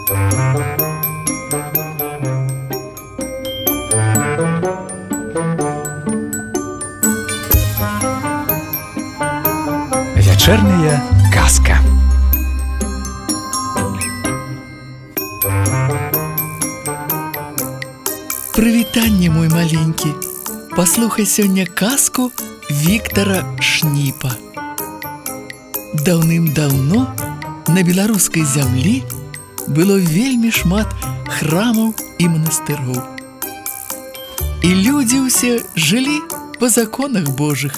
Вечерняя казка. Прывітанне, мой маленькі. Паслухай сёння казку Віктара Шніпа. Даўным-даўно на беларускай зямлі было вельмі шмат храмаў і манастыроў. І людзі ўсе жылі па законах Божых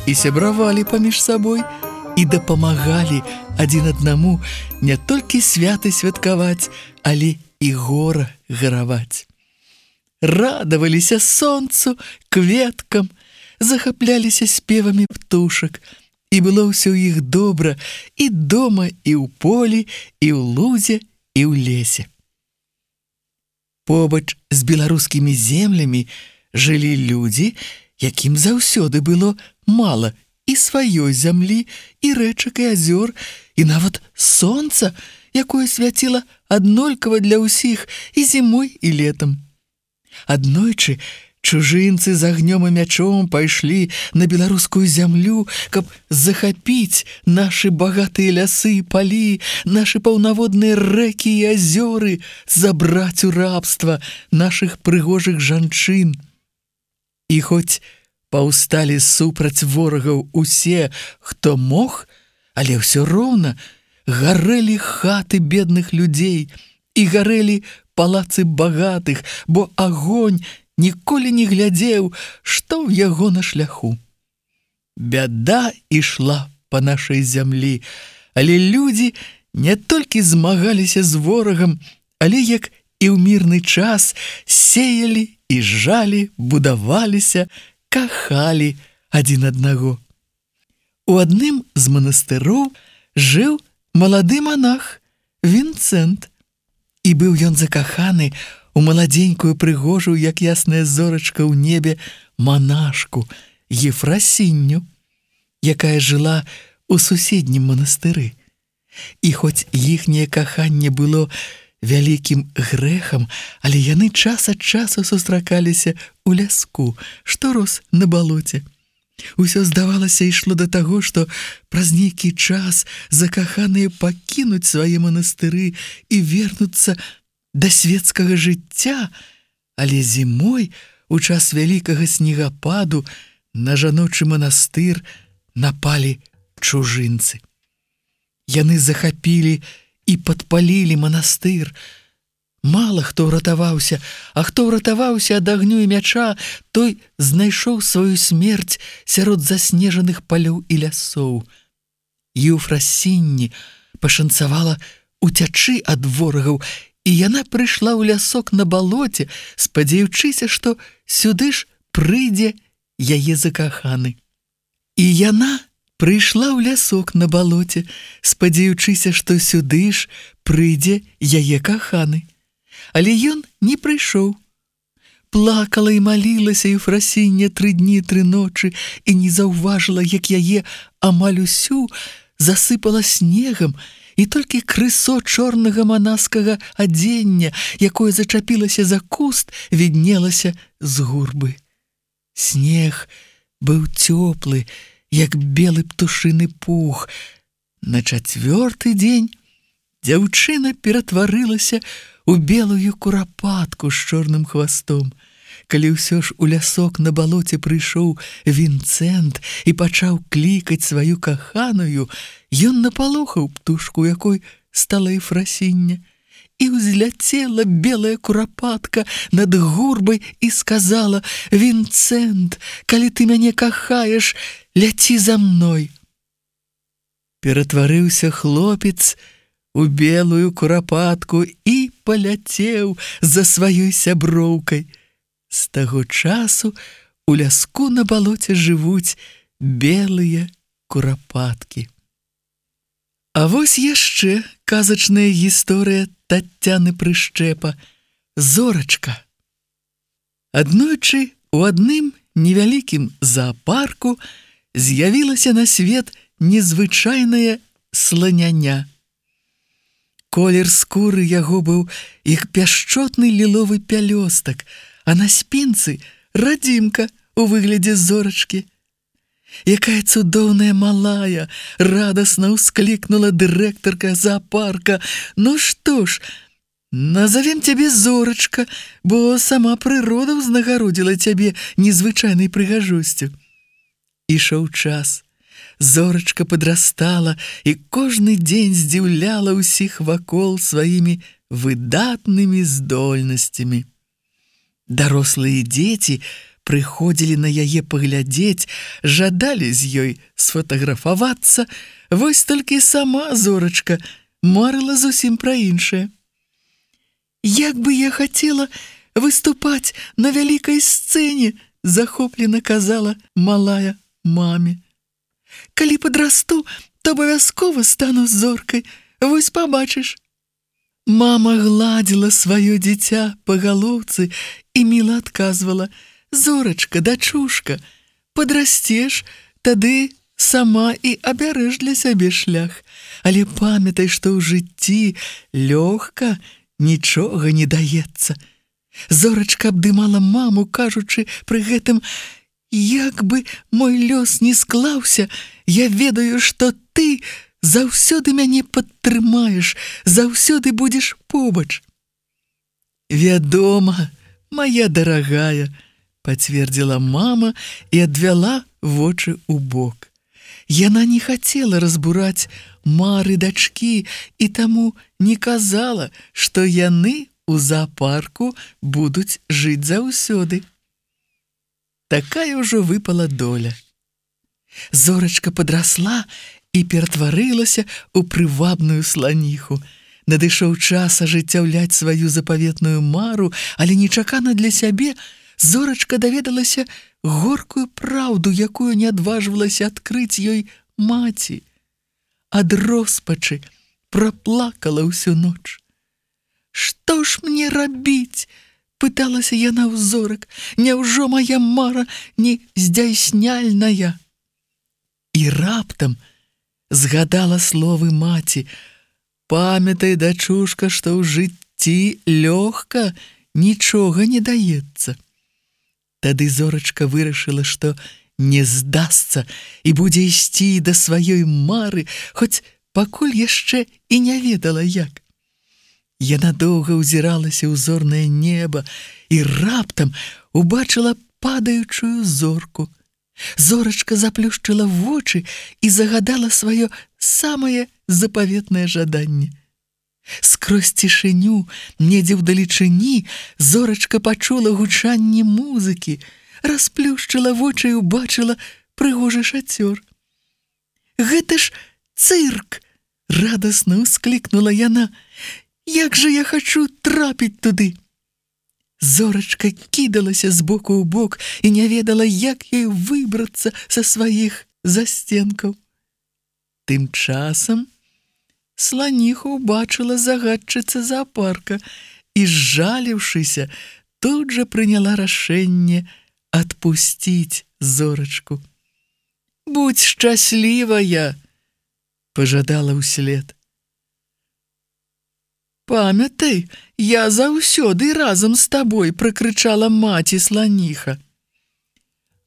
і сябравалі паміж сабой і дапамагалі адзін аднаму не толькі святы святкаваць, але і гора гараваць. Радаваліся сонцу, кветкам, захапляліся спевамі птушак, і было ўсё ў іх добра і дома, і ў полі, і ў лузе, і ў лесе. Побач з беларускімі землямі жылі людзі, якім заўсёды было мала і сваёй зямлі, і рэчак, і азёр, і нават сонца, якое свяціла аднолькава для ўсіх і зімой, і летам. Аднойчы чужынцы з агнём і мячом пайшлі на беларускую зямлю, каб захапіць нашы багатыя лясы і палі, нашы паўнаводныя рэкі і азёры, забраць у рабства нашых прыгожых жанчын. І хоць паўсталі супраць ворагаў усе, хто мог, але ўсё роўна гарэлі хаты бедных людзей і гарэлі палацы багатых, бо агонь ніколі не глядзеў, што ў яго на шляху. Бяда ішла па нашай зямлі, але людзі не толькі змагаліся з ворагам, але як і ў мірны час сеялі і жалі, будаваліся, кахалі адзін аднаго. У адным з манастыроў жыў малады манах Вінцэнт. І быў ён закаханы у маладзенькую прыгожую, як ясная зорачка ў небе, манашку Ефрасінню, якая жыла ў суседнім манастыры. І хоць іхняе каханне было вялікім грэхам, але яны час ад часу сустракаліся ў ляску, што рос на балоце. Усё, здавалася, ішло да таго, што праз нейкі час закаханыя пакінуць свае манастыры і вернуцца да свецкага жыцця, але зімой, у час вялікага снегападу, на жаночы манастыр напалі чужынцы. Яны захапілі і падпалілі манастыр. Мала хто ўратаваўся, а хто ўратаваўся ад агню і мяча, той знайшоў сваю смерць сярод заснежаных палёў і лясоў. Ефрасінні пашанцавала уцячы ад ворагаў, і яна прыйшла ў лясок на балоце, спадзяючыся, што сюды ж прыйдзе яе закаханы. І яна прыйшла ў лясок на балоце, спадзяючыся, што сюды ж прыйдзе яе каханы. Але ён не прыйшоў. Плакала і малілася Ефрасіння 3 дні, 3 ночы і не заўважыла, як яе амаль усю засыпала снегам, і толькі крысо чорнага манаскага адзення, якое зачапілася за куст, віднелася з гурбы. Снег быў цёплы, як белы птушыны пух. На 4-й дзень дзяўчына ператварылася у белую курапатку з чорным хвастом. Калі ўсё ж у лясок на балоце прыйшоў Вінцэнт і пачаў клікаць сваю каханую, ён напалохаў птушку, якой стала Ефрасіння, і ўзляцела белая курапатка над гурбай і сказала: «Вінцэнт, калі ты мяне кахаеш, ляці за мной». Ператварыўся хлопец у белую курапатку і паляцеў за сваёй сяброўкай. З таго часу у ляску на балоце жывуць белыя курапаткі. А вось яшчэ казачная гісторыя Таццяны Прышчэпа «Зорачка». Аднойчы у адным невялікім зоапарку з'явілася на свет незвычайная сланяня. Колер скуры яго быў як пяшчотны ліловы пялёстак, а на спінцы радзімка у выглядзе зорачкі. Якая цудоўная малая, радасна ўсклікнула дырэктарка зоапарка. Ну што ж, назовем цябе Зорачка, бо сама прырода ўзнагародзіла цябе незвычайнай прыгажосцю. Ішоў час. Зорачка падрастала і кожны дзень здзіўляла ўсіх вакол сваімі выдатнымі здольнасцямі. Дарослыя дзеці прыходзілі на яе паглядзець, жадалі з ёй сфотаграфавацца, вось толькі сама Зорачка марыла зусім пра іншае. «Як бы я хацела выступаць на вялікай сцэне», захоплена казала малая маме. «Калі падрасту, то абавязкова стану зоркай, вось пабачыш». Мама гладзіла сваё дзіця па галоўцы і міла адказвала: «Зорачка, дачушка, падрасцеш, тады сама і абярэш для сябе шлях. Але памятай, што ў жыцці лёгка нічога не даецца». Зорачка абдымала маму, кажучы пры гэтым: «Як бы мой лёс не склаўся, я ведаю, што ты заўсёды мяне падтрымаеш, заўсёды будзеш побач». «Вядома, моя дарагая», пацвердзіла мама і адвяла вочы ў бок. Яна не хацела разбураць мары дачкі і таму не казала, што яны ў зоапарку будуць жыць заўсёды. Такая ўжо выпала доля. Зорачка падрасла і ператварылася ў прывабную сланіху. Надышоў час ажыццяўляць сваю запаветную мару, але нечакана для сябе Зорачка даведалася горкую праўду, якую не адважвалася адкрыць ёй маці. Ад роспачы праплакала ўсю ноч. «Што ж мне рабіць?» – пыталася яна ў зорак. «Няўжо моя мара не здзяйсняльная?» І раптам згадала словы маці: «Памятай, дачушка, што ў жыцці лёгка нічога не даецца». Тады Зорачка вырашыла, што не здасца і будзе ісці да сваёй мары, хоць пакуль яшчэ і не ведала як. Яна доўга ўзіралася ў зорнае неба і раптам убачыла падаючую зорку. Зорачка заплюшчыла вочы і загадала сваё самае запаветнае жаданне. Скрозь цішыню, недзе ўдалечыні, Зорачка пачула гучанне музыкі, расплюшчыла вочы і ўбачыла прыгожы шацёр. «Гэта ж цырк!» – радасна ўсклікнула яна. «Як жа я хачу трапіць туды!» Зорачка кідалася з боку ў бок і не ведала, як ёй выбрацца са сваіх засценкаў. Тым часам сланіха ўбачыла загадчыца зоапарка і, зжаліўшыся, тут жа прыняла рашэнне адпусціць Зорачку. «Будь шчаслівая!» – пажадала ўслед. «Памятай, я заўсёды разам з табой!» – пракрычала маці сланіха.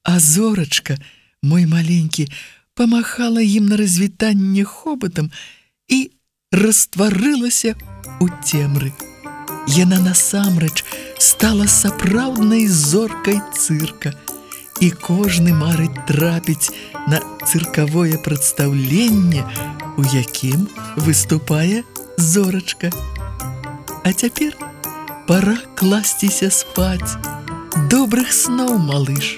А Зорачка, мой маленькі, памахала ім на развітанне хобатам і растварылася ў цемры. Яна насамрэч стала сапраўднай зоркай цырка, і кожны марыць трапіць на цыркавое прадстаўленне, у якім выступае Зорачка. А цяпер пара класціся спаць. Добрых сноў, малыш!